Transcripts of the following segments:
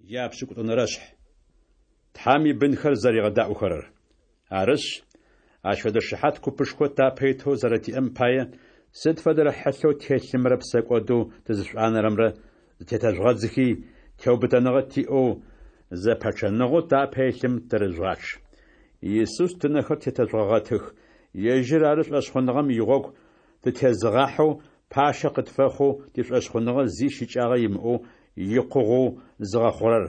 Япшӏыкӏутӏонэрэшъхь. Тхьэм ибынхэр зэригъэдаӏохэрэр. Арышъ, ащ фэдэ шыхьат купышхо тапэ итэу зэрэтиӏэм пае, сыд фэдэрэ хьылъэу ттелъымрэ псэкӏодэу тызышӏуанэрэмрэ зытетэжъугъэдзыхи, теубытэныгъэ тиӏэу, зэпэчъэныгъэу тапэ илъым тырыжъугъачъ. Исус тынэхэр тетэжъугъэгъэтых, ежьыр ары шӏошъхъуныгъэм игъогу тытезыгъахьэу, пащэ къытфэхъоу, тишӏошъхъуныгъэ зи щыкӏагъэ имыӏэу икъугъэу зыгъэхъурэр.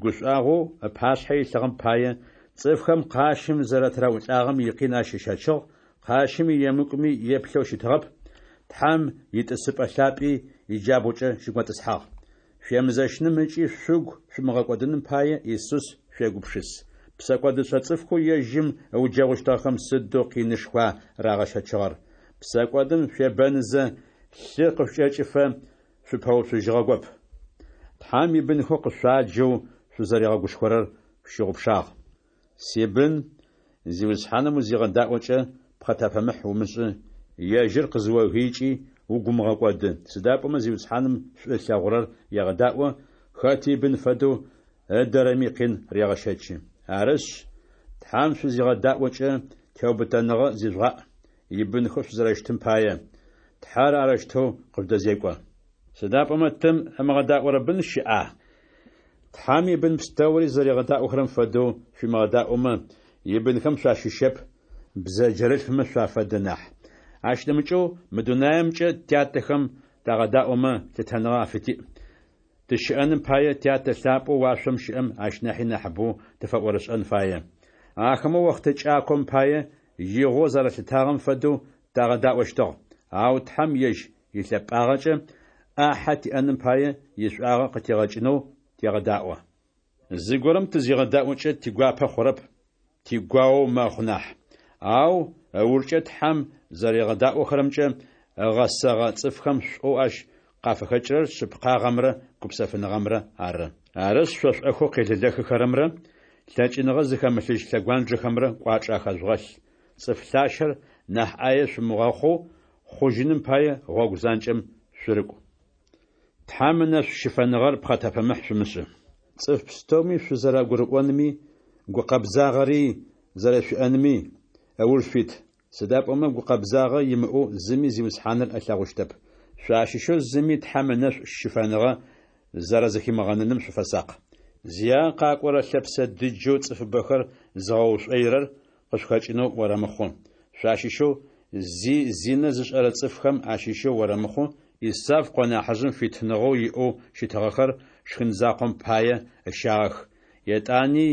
Гушӏуагъоу ыпашъхьэ илъыгъэм пае, цӏыфхэм къащым зэрэтыраӏулӏагъэм икъин ащ ыщэчыгъ, къащым иемыкӏуми еплъэу щытыгъэп, Тхьэм итӏысыпӏэ лъапӏи иджабгъукӏэ щыготӏысхьагъ. Шъуемызэщыным ыкӏи шъугу шъумыгъэкӏодыным пае Исус шъуегупшыс. Псэкӏодышӏэ цӏыфхэу ежьым ыуджэгъущтыгъэхэм сыдэу къинышхуа рагъэщэчыгъэр. Псэкӏодым шъуебэнызэ, лъы къышъукӏэкӏыфэ шъупэуцужьыгъэгоп. Тхьэм ибынхэу къышъуаджэу шъузэригъэгушхорэр шъущыгъупшагъ. Сибын, Зиусхьаным узигъэдаӏокӏэ, пхъэтэпэмыхь умышӏы, ежьыр къызыогыикӏи угу умыгъэкӏоды, сыда пӏомэ Зиусхьаным шӏу ылъэгъурэр егъэдаӏо, хэти ибын фэдэу ыдэрэми къин регъэщэчы. Арышъ, Тхьэм шъузигъэдаӏокӏэ, теубытэныгъэ зижъугъаӏ, ибынхэу шъузэрэщытым пае, Тхьэр арэущтэу къыжъудэзекӏо. Сыда пӏомэ тым ымыгъэдаӏорэ бын щыӏа? Тхьэм ибын пстэури зэригъэдаӏохэрэм фэдэу шъуимыгъэдаӏомэ, ибынхэм шъуащыщэп, бзэджэрылъфмэ шъуафэдэ нахь. Ащ нэмыкӏэу мы дунаемкӏэ тятэхэм тагъэдаӏомэ, лъытэныгъэ афытиӏ. Тыщыӏэным пае Тятэ лъапӏэу уашъом щыӏэм ащ нахьи нахьыбэу тыфэӏорышӏэн фае. Ахэмэ охътэ кӏаком пае игъоу зэралъытагъэм фэдэу тагъэдаӏощтыгъ, ау Тхьэм ежь илъэпӏагъэкӏэ ӏахьэ тиӏэным пае ишӏуагъэ къытигъэкӏынэу тегъэдаӏо. Зыгорэм тызигъэдаӏокӏэ тигуапэ хъурэп, тигуаоу мэхъу нахь. Ау ыужкӏэ Тхьэм зэригъэдаӏохэрэмкӏэ ыгъэсэгъэ цӏыфхэм шӏоу ащ къафыхэкӏырэр шъыпкъагъэмрэ гупсэфыныгъэмрэ ары. Арышъ, шъо шӏэхэу къелэлэхыхэрэмрэ лъэкӏыныгъэ зыхэмылъыжь лъэгуанджэхэмрэ кӏуачӏэ ахэжъугъэлъ. Цӏыф лъащэр нахь ӏае шъумыгъэхъоу, хъужьыным пае гъогу занкӏэм шъурыкӏу. Тхьэм ынэшӏу щыфэныгъэр пхъэтэпэмыхь шъумышӏы. Цӏыф пстэуми шъузэрагурыӏонми, гукъэбзагъэри зэрэшъуиӏэнми ыуж шъуит. Сыда пӏомэ гукъэбзагъэ имыӏэу зыми Зиусхьаныр ылъэгъущтэп. Шъуащыщэу зыми Тхьэм ынэшӏу щыфэныгъэ зэрэзыхимыгъэныным шъуфэсакъ. Зиягъэ къакӏорэ лъэпсэ дыджэу цӏыфыбэхэр зыгъэушӏоирэр къышъухэкӏынэу орэмыхъу. Шъуащыщэу зи зинэ зышӏэрэ цӏыфхэм ащыщэу орэмыхъу, Исав къо нахьыжъым фитыныгъэу иӏэу щытыгъэхэр шхын закъом пае ыщагъэх. Етӏани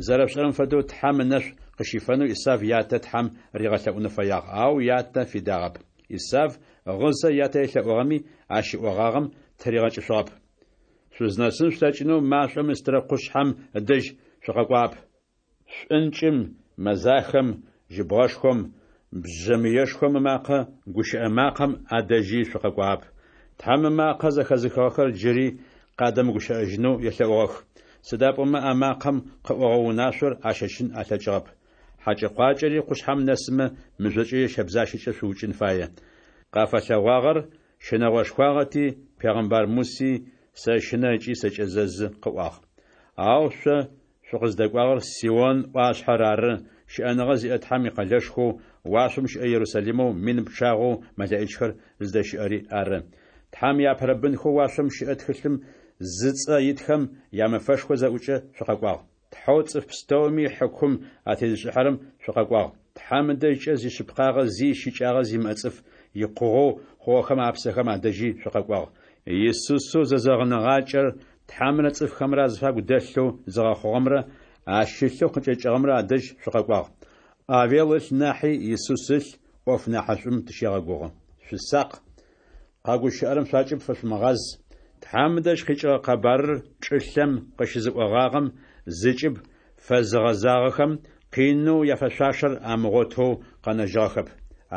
зэрэшъушӏэрэм фэдэу Тхьэм ынэшӏу къыщифэнэу Исав ятэ Тхьэм ригъэлъэӏунэу фэягъ, ау ятэ фидагъэп. Исав гъызэ ятэ елъэӏугъэми, ащ ыӏогъагъэм тыригъэкӏышъугъэп. Шъузнэсын шъулъэкӏынэу машӏом ыстырэ къушъхьэм ыдэжь шъукъэкӏуагъэп. Шӏункӏым, мэзахэм, жьыбгъэшхом, бжъэмыешхом ымакъэ, гущыӏэ макъэм адэжьи шъукъэкӏуагъэп. Тхьэм ымакъэ зэхэзыхыгъэхэр джыри къадэмыгущыӏэжьынэу елъэӏугъэх, сыда пӏомэ а макъэм къыӏогъэ унашъор ащэчын алъэкӏыгъэп. Хьакӏэ-къуакӏэри къушъхьэм нэсымэ, мыжъокӏэ е щэбзащэкӏэ шъуукӏын фае. Къафэлъэгъуагъэр щынэгъошхуагъэти, пегъэмбар Муси Сэщынэ ыкӏи сэкӏэзэзы къыӏуагъ. Ау шъо шъукъыздэкӏуагъэр Сион ӏуашъхьэр ары, щыӏэныгъэ зиӏэ Тхьэм икъэлэшхоу, уашъом щыӏэ Ерусалимэу мин пчъагъэу мэлэӏичхэр зыдэщыӏэри ары. Тхьэм иапэрэ бынхэу уашъом щыӏэ тхылъым зыцӏэ итхэм ямэфэшхо зэӏукӏэ шъукъэкӏуагъ. Тхьэу цӏыф пстэуми хьыкум атезышӏыхьэрэм шъукъэкӏуагъ. Тхьэм ыдэжькӏэ зишъыпкъагъэ зи щыкӏагъэ зимыӏэ цӏыф икъугъэу хъугъэхэм апсэхэм адэжьи шъукъэкӏуагъ. Исусэу зэзэгъыныгъакӏэр Тхьэмрэ цӏыфхэмрэ азыфагу дэлъэу зыгъэхъугъэмрэ ащ ылъэу къыкӏэкӏыгъэмрэ адэжь шъукъэкӏуагъ. Авел ылъ нахьи Исус ылъ ӏоф нахьышӏум тыщегъэгугъы. Шъусакъ! Къэгущыӏэрэм шъуакӏыб фэшъумыгъаз. Тхьэм ыдэжь къикӏыгъэ къэбарыр чӏылъэм къыщызыӏогъагъэм зыкӏыб фэзыгъэзагъэхэм къинэу яфэшъуашэр амыгъотэу къэнэжьыгъэхэп.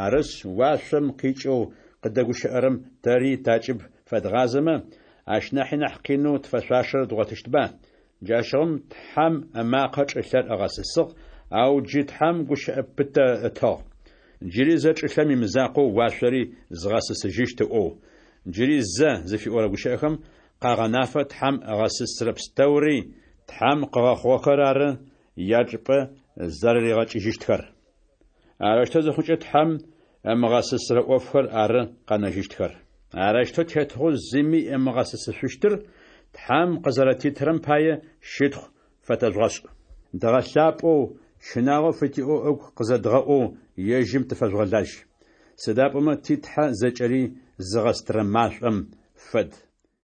Арышъ, уашъом къикӏэу къыддэгущыӏэрэм тэри такӏыб фэдгъазэмэ, ащ нахьи нахь къинэу тфэшъуашэр дгъотыщтба? Джащыгъум Тхьэм ымакъэ чӏылъэр ыгъэсысыгъ, ау джы Тхьэм гущыӏэ пытэ ытыгъ. Джыри зэ чӏылъэм имызакъоу уашъори згъэсысыжьыщт ыӏоу. Джыри зэ зыфиӏорэ гущыӏэхэм къагъэнафэ Тхьэм ыгъэсысырэ пстэури, Тхьэм къыгъэхъугъэхэр ары, ячӏыпӏэ зэрэригъэкӏыжьыщтхэр. Арэущтэу зыхъукӏэ, Тхьэм ымыгъэсысырэ ӏофхэр ары къэнэжьыщтхэр. Арэущтэу тетыгъоу зыми ымыгъэсысышъущтыр Тхьэм къызэрэтитырэм пае, щытхъу фэтэжъугъэшӏ. Дгъэлъапӏэу, щынагъо фытиӏэу ыгу къызэдгъэӏоу, ежьым тыфэжъугъэлажь. Сыда пӏомэ ти Тхьэ зэкӏэри зыгъэстырэ машӏом фэд.